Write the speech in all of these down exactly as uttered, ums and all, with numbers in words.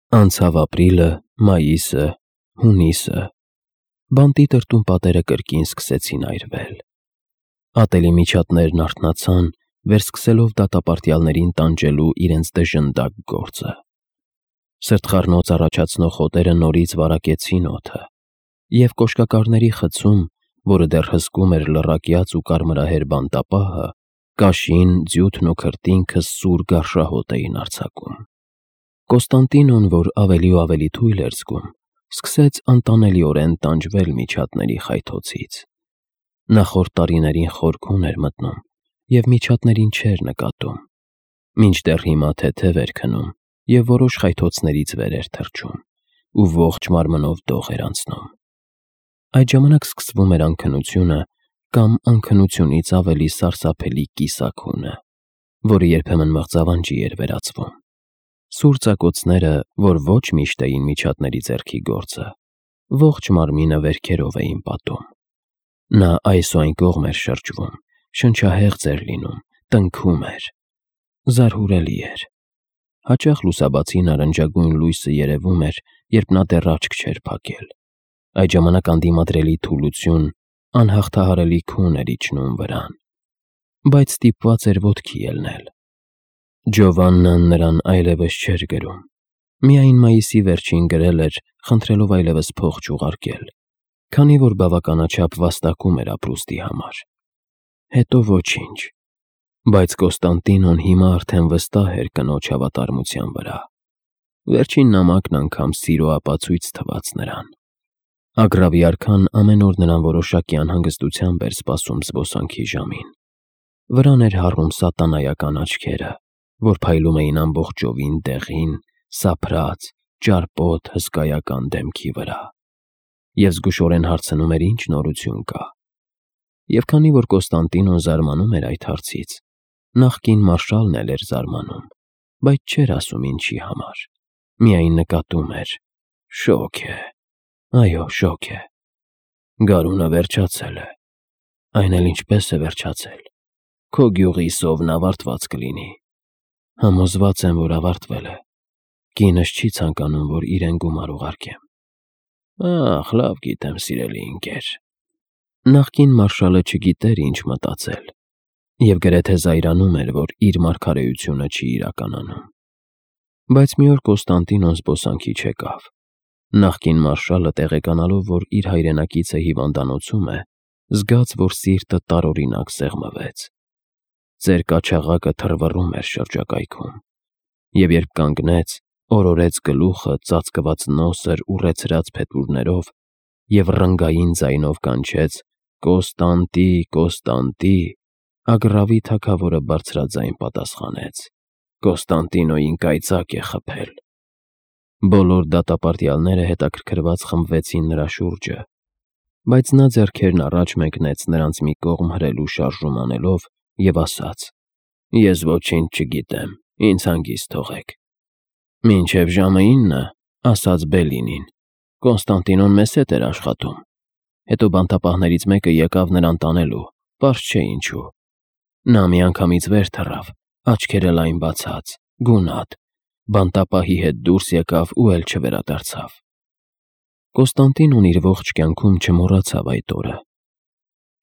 Անցավ ապրիլը, մայիսը, հունիսը, բանտի տրտում պատերը կրկին սկսեցին այրվել, ատելի միջատներն արթնացան, վերսկսելով դատապարտյալներին տանջելու իրենց դժնդակ գործը, սրտխառնոց առաջացնող հոտերը նորից վարակեցին օդը, և կոշկակարների խցում, որը դեռ հսկում էր լռակյաց ու կարմրահեր բանտապահը, կաշին, ձյութն ու քրտինքը սուր գարշահոտ էին արձակում։ Կոստանդինոն, որ ավելի ու ավելի թույլ էր զգում, սկսեց անտանելիորեն տանջվել միջատների խայթոցից։ Նախորդ տարիներին խորքուն էր մտնում և միջատներին չէր նկատում, մինչդեռ հիմա թեթև էր քնում և որոշ խայթոցներից վեր էր թռչում ու ողջ մարմնով դող էր անցնում։ Այդ ժամանակ սկսվում էր անքնությունը կամ անքնությունից ավելի սարսափելի կիսաքունը, որը երբեմն մղձավանջի էր վերածվում։ Սուր ծակոցները, որ ոչ միշտ էին միջատների ձեռքի գործը, ողջ մարմինը վերքերով էին պատում։ Նա այս ու այն կողմ էր շրջվում, շնչահեղձ էր լինում, տնքում էր, զարհուրելի էր։ Հաճախ լուսաբացի նարնջագույն լույսը երևում էր, երբ նա դեռ աչք չէր փակել։ Այդ ժամանակ անդիմադրելի թուլություն, անհաղթահարելի քուն էր իջնում վրան, բայց ստիպված էր ոտքի ելնել։ Ջովաննան նրան այլևս չէր գրում, միայն մայիսի վերջին գրել էր, խնդրելով այլևս փող չուղարկել, քանի որ բավականաչափ վաստակում էր ապրուստի համար։ Հետո ոչինչ, բայց Կոստանդինոն հիմա արդեն վստահ էր կնոջ հավատարմության վրա։ Վերջին նամակն անգամ սիրո ապացույց թվաց նրան։ Ագռավի արքան ամեն օր նրան որոշակի անհանգստությամբ էր սպասում զբոսանքի ժամին։ Վրան էր հառում սատանայական աչքերը, որ փայլում էին ամբողջովին դեղին, սափրած, ճարպոտ հսկայական դեմքի վրա, և զգուշորեն հարցնում էր ինչ նորություն կա։ Եվ քանի որ Կոստանդինոն զարմանում էր այդ հարցից, նախկին մարշալն էլ էր զարմանում, բայց չէր ասում ինչի համար, միայն նկատում էր. շոգ է, այո, շոգ է։ Գարունը վերջացել է, այն էլ ինչպես է վերջացել, քո գյուղի սովն ավարտված կլինի։ Համոզված եմ, որ ավարտվել է, կինս չի ցանկանում, որ իրեն գումար ուղարկեմ։ Ախ, լավ գիտեմ, սիրելի ընկեր։ Նախկին մարշալը չգիտեր ինչ մտածել և գրեթե զայրանում էր, որ իր մարգարեությունը չի իրականանում։ Բայց մի օր Կոստանդինոն զբոսանքի չեկավ։ Նախկին մարշալը, տեղեկանալով, որ իր հայրենակիցը հիվանդանոցում է, զգաց, որ սիրտը տարօրինակ սեղմվեց։ Ծեր կաչաղակը թռվռում էր շրջակայքում, և երբ կանգնեց, օրորեց գլուխը ծածկված նոսր ուռեցրած փետուրներով և ռնգային ձայնով կանչեց. «Կոստանդի, Կոստանդի», ագռավի թագավորը բարձրաձայն պատասխանեց. «Կոստանդինոյին կայծակ է խփել»։ Բոլոր դատապարտյալները հետաքրքրված խմբվեցին նրա շուրջը, բայց նա ձեռքերն առաջ մեկնեց նրանց մի կողմ հրելու շարժում անելով և ասաց. «Ես ոչինչ չգիտեմ, ինձ հանգիստ թողեք»։ «Մինչև ժամը ինը, ասաց Բելինին, Կոստանդինոն մեզ հետ էր աշխատում, հետո բանտապահներից մեկը եկավ նրան տանելու, պարզ չէ ինչու։ Նա միանգամից վեր թռավ, աչքերը լայն բացած, գունատ, բանտապահի հետ դուրս եկավ ու էլ չվերադարձավ»։ Կոստանդինոն իր ողջ կյանքում չմոռացավ այդ օրը։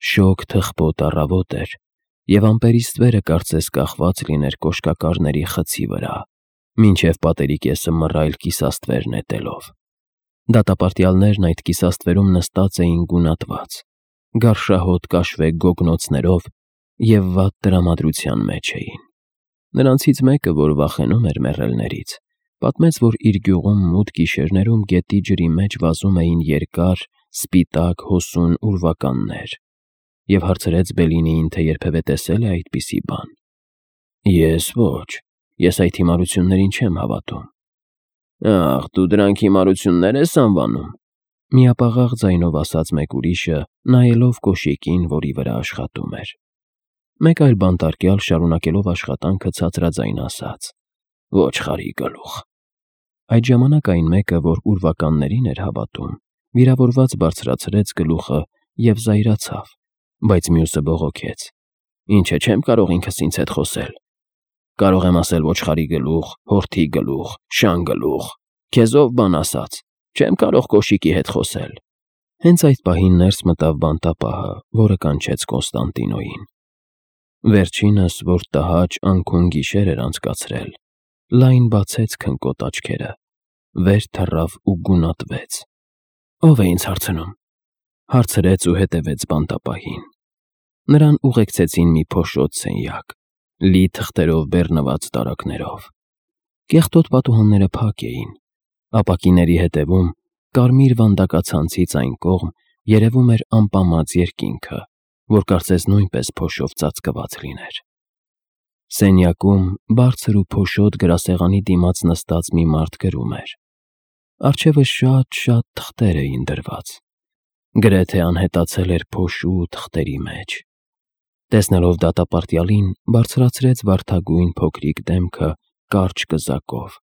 Շոգ թխպոտ առավոտ էր, և ամպերի ստվերը կարծես կախված լիներ կոշկակարների խցի վրա, մինչև պատերի կեսը մռայլ կիսաստվեր նետելով։ Դատապարտյալներն այդ կիսաստվերում նստած էին գունատված, գարշահոտ կաշվե գոգնոցներով և վատ տրամադրության մեջ էին։ Նրանցից մեկը, որ վախենում էր մեռելներից, պատմեց, որ իր գյուղում մութ գիշերներում գետի ջրի մեջ վազում էին երկար, սպիտակ հոսուն ուրվականներ, և հարցրեց Բելինիին, թե երբևէ տեսել է այդպիսի բան։ «Ես ոչ, ես այդ հիմարություններին չեմ հավատում»։ «Ախ, դու դրանք հիմարություններ ես անվանում», միապաղաղ ձայնով ասաց մեկ ուրիշը, նայելով կոշիկին, որի վրա աշխատում էր։ Մեկ այլ բանտարկյալ, շարունակելով աշխատանքը, ցածրաձայն ասաց. «Ոչխարի գլուխ»։ Այդ ժամանակ այն մեկը, որ ուրվականներին էր հավատում, վիրավորված բարձրացրեց գլուխը և զայրացավ, բայց մյուսը բողոքեց. «Ինչ է, չեմ կարող ինքս ինձ հետ խոսել։ Կարող եմ ասել ոչխարի գլուխ, հորթի գլուխ, շան գլուխ, Քեզ ով բան ասաց, չեմ կարող կոշիկի հետ խոսել։ Հենց այդ պահին ներս մտավ բանտապահը, որը կանչեց Կոնստանտինոյին։ Վերջինս, որ տհաճ անքուն գիշեր էր անցկացրել, լայն բացեց քնկոտ աչքերը, վեր թռավ ու գունատվեց։ Ո՞վ է ինձ հարցնում, հարցրեց ու հետևեց բանտապահին։ Նրան ուղեկցեցին մի փոշոտ սենյակ, լի թղթերով բեռնված տարակներով։ Կեղտոտ պատուհանները փակ էին, ապակիների հետևում, կարմիր վանդակացանցից այն կողմ, երևում էր անպամած երկինքը, որ կարծես նույնպես փոշով ծածկված լիներ։ Սենյակում բարձր ու փոշոտ գրասեղանի դիմաց նստած մի մարդ գրում էր։ Առջևը շատ-շատ թղթեր էին դրված։ Գրեթե անհետացել էր փոշու թղթերի մեջ։ Տեսնելով դատապարտյալին, բարձրացրեց վարդագույն փոքրիկ դեմքը կարճ կզակով,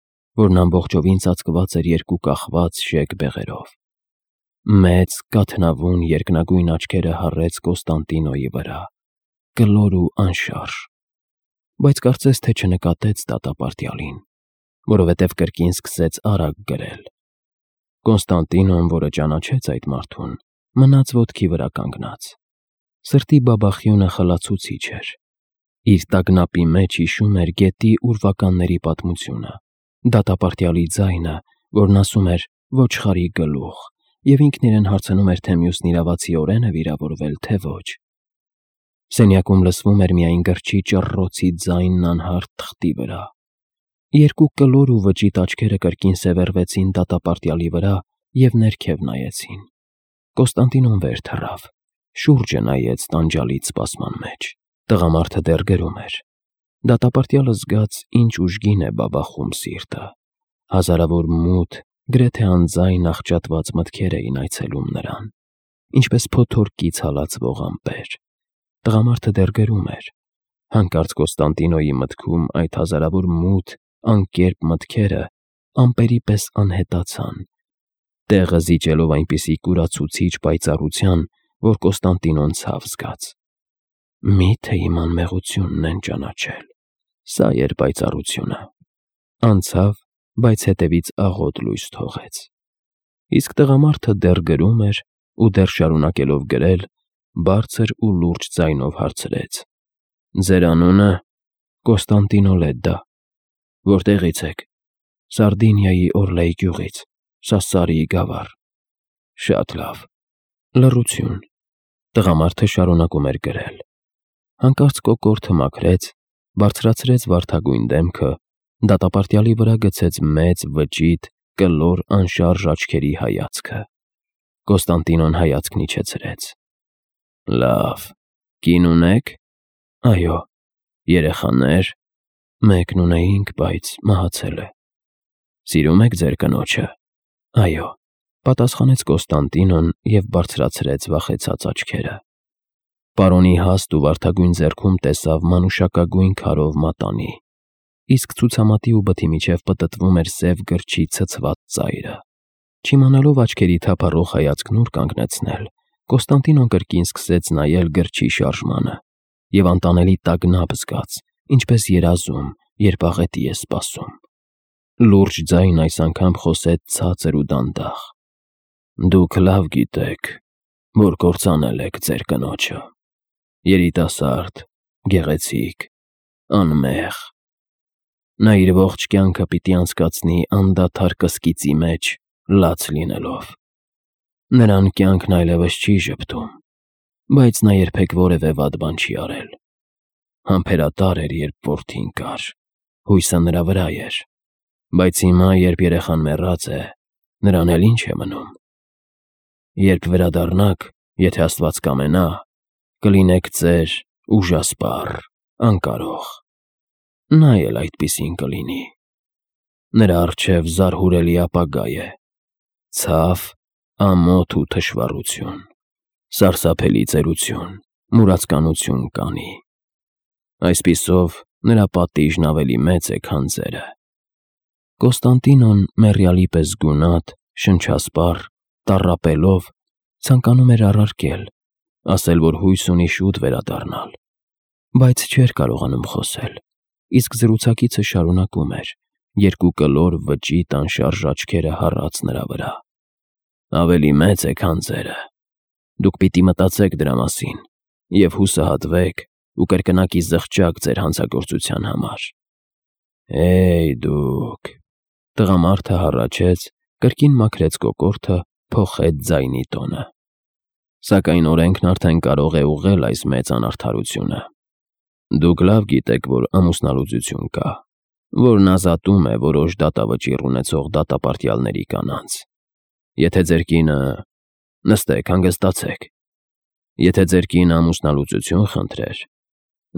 որն ամբողջովին ծածկված էր երկու կախված շեկ բեղերով։ Մեծ, կաթնավուն երկնագույն աչքերը հառեց Կոնստանտինոյի վրա, կլոր ու անշարժ, բայց կարծես թե չնկատեց դատապարտյալին, որովհետև կրկին սկսեց արագ գրել։ Կոնստանտինոն, որը ճանաչեց այդ մարդուն, մնաց ոտքի վրա կանգնած։ Սրտի բաբախյունը խլացուցիչ էր։ Իր տագնապի մեջ հիշում էր գետի ուրվականների պատմությունը, դատապարտյալի ձայնը, որն ասում էր «ոչխարի գլուխ», և ինքն իրեն հարցնում էր, թե մյուսն իրավացիորեն է վիրավորվել, թե ոչ։ Սենյակում լսվում էր միայն գրչի ճռռոցի ձայնն անհարթ թղթի վրա։ Երկու կլոր ու վճիտ աչքերը կրկին սևեռվեցին դատապարտյալի վրա և ներքև նայեցին։ Կոնստանտինոն վեր թռավ, շուրջը նայեց տանջալից սպասման մեջ։ Տղամարդը դեռ գրում էր։ Դատապարտյալը զգաց, ինչ ուժգին է բաբախում սիրտը։ Հազարավոր մութ, գրեթե անձայն աղճատված մտքեր էին այցելում նրան, ինչպես փոթորկից հալածվող ամպեր։ Տղամարդը դեռ գրում էր։ Հանկարծ Կոնստանտինոյի մտքում այդ հազարավոր մութ, անկերպ մտքերը ամպերի պես անհետացան, տեղը զիջելով այնպիսի կուրացուցիչ պայծառության, որ Կոնստանտինոն ցավ զգաց։ Մի՞թե իմ անմեղությունն են ճանաչել։ Սա էր պայծառությունը։ Անցավ, բայց հետևից աղոտ լույս թողեց։ Իսկ տղամարդը դեռ գրում էր ու դեռ շարունակելով գրել, բարձր ու լուրջ ձայնով հարցրեց. Ձեր անունը։ Կոնստանտինո Լեդդա։ Որտեղից եք։ Սարդինիայի Օրլեի գյուղից, Սասարիի գավառ։ Շատ լավ։ Լռություն։ Տղամարդը շարունակում էր գրել։ Հանկարծ կոկորդը մաքրեց, բարձրացրեց վարդագույն դեմքը, դատապարտյալի վրա գցեց մեծ, վճիտ, կլոր, անշարժ աչքերի հայացքը։ Կոնստանտինոն հայացքն իջեցրեց։ Լավ, կին ունեք։ Այո։ Երեխաներ։ Մեկն ունեինք, բայց մահացել է։ Սիրում եք ձեր կնոջը։ Այո, պատասխանեց Կոնստանտինոն և բարձրացրեց վախեցած աչքերը։ Պարոնի հաստ ու վարդագույն ձեռքում տեսավ մանուշակագույն քարով մատանի, իսկ ցուցամատի ու բթի միջև պտտվում էր սև գրչի ցցված ծայրը։ Չիմանալով աչքերի թափառող հայացքն ուր կանգնեցնել, Կոնստանտինոն կրկին սկսեց նայել գրչի շարժմանը և անտանելի տագնապ զգաց, ինչպես երազում, երբ աղետի է սպասում։ Լուրջ ձայն այս անգամ խոսեց ցածր ու դանդաղ. Դուք լավ գիտեք, որ կործանել եք ձեր կնոջը։ Երիտասարդ, գեղեցիկ, անմեղ։ Նա իր ողջ կյանքը պիտի անցկացնի անդադար կսկիծի մեջ, լաց լինելով։ Նրան կյանքն այլևս չի ժպտում, բայց նա երբեք որևէ վատ բան չի արել։ Համբերատար էր, երբ որդին կար, հույսը նրա վրա էր, բայց հիմա, երբ երեխան մեռած է, նրան էլ ինչ է մնում։ Երբ վերադառնաք, եթե Աստված կամենա, կլինեք ծեր, ուժասպառ, անկարող։ Նա էլ այդպիսին կլինի։ Նրա առջև զարհուրելի ապագա է, ցավ, ամոթ ու թշվառություն, սարսափելի ծերություն, մուրացկանություն կանի։ Այսպիսով նրա պատիժն ավելի մեծ է, քան ձերը։ Կոնստանտինոն մեռյալի պես գունատ, շնչասպառ, տառապելով, ցանկանում էր առարկել, ասել, որ հույս ունի շուտ վերադառնալ, բայց չէր կարողանում խոսել, իսկ զրուցակիցը շարունակում էր, երկու կլոր վճիտ անշարժ աչքերը հառած նրա վրա։ Ավելի մեծ է, քան ձերը։ Դուք պիտի մտածեք դրա մասին և հուսահատվեք ու կրկնակի զղջաք ձեր հանցագործության համար։ Հեյ դուք… Տղամարդը հառաչեց, կրկին մաքրեց կոկորդը, փոխեց ձայնի տոնը։ Սակայն օրենքն արդեն կարող է ուղղել այս մեծ անարդարությունը։ Դուք լավ գիտեք, որ ամուսնալուծություն կա, որն ազատում է որոշ դատավճիռ ունեցող դատապարտյալների կանանց։ Եթե ձեր կինը… Նստեք, հանգստացեք։ Եթե ձեր կինը ամուսնալուծություն խնդրեր,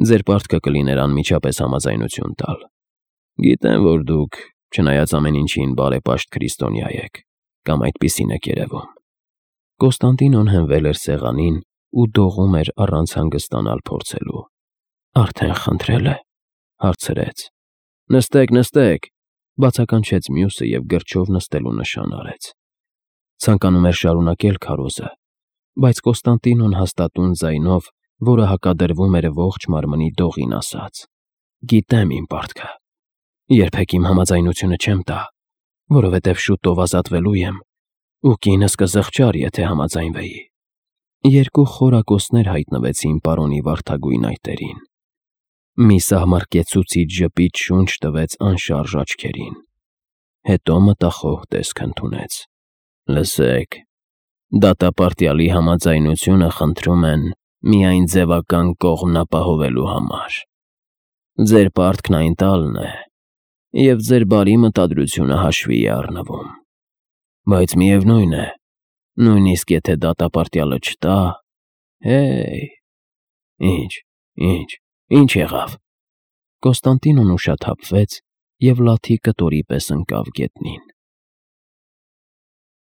ձեր պարտքը կլիներ անմիջապես համաձայնություն տալ։ Գիտեմ, որ դուք, չնայած ամեն ինչին, բարեպաշտ քրիստոնյա եք, կամ այդպիսին եք երևում։ Կոստանդինոն հենվել էր սեղանին ու դողում էր առանց հանգստանալ փորձելու։ Արդեն խնդրել է, հարցրեց։ Նստեք, նստեք, բացականչեց մյուսը և գրչով նստելու նշան արեց։ Ցանկանում էր շարունակել քարոզը, բայց Կոստանդինոն հաստատուն ձայնով, որը հակադրվում էր ողջ մարմնի դողին, ասաց. Գիտեմ իմ պարտքը։ Երբեք իմ համաձայնությունը չեմ տա, որովհետև շուտով ազատվելու եմ, ու կինս կզղջար, եթե համաձայնվեի։ Երկու խորակոցներ հայտնվեցին պարոնի վարդագույն այտերին։ Մի սահմռկեցուցիչ ժպիտ շունչ տվեց անշարժ աչքերին։ Հետո մտախոհ տեսք ընդունեց։ Լսեք, դատապարտյալի համաձայնությունը խնդրում են միայն ձևական կողմն ապահովելու համար։ Ձեր պարտքն այն տալն է, և ձեր բարի մտադրությունը հաշվի է առնվում։ Բայց միևնույն է, նույնիսկ եթե դատապարտյալը չտա… Հեյ… Ինչ, ինչ, ինչ եղավ։ Կոստանդինոն ուշաթափվեց և լաթի կտորի պես ընկավ գետնին։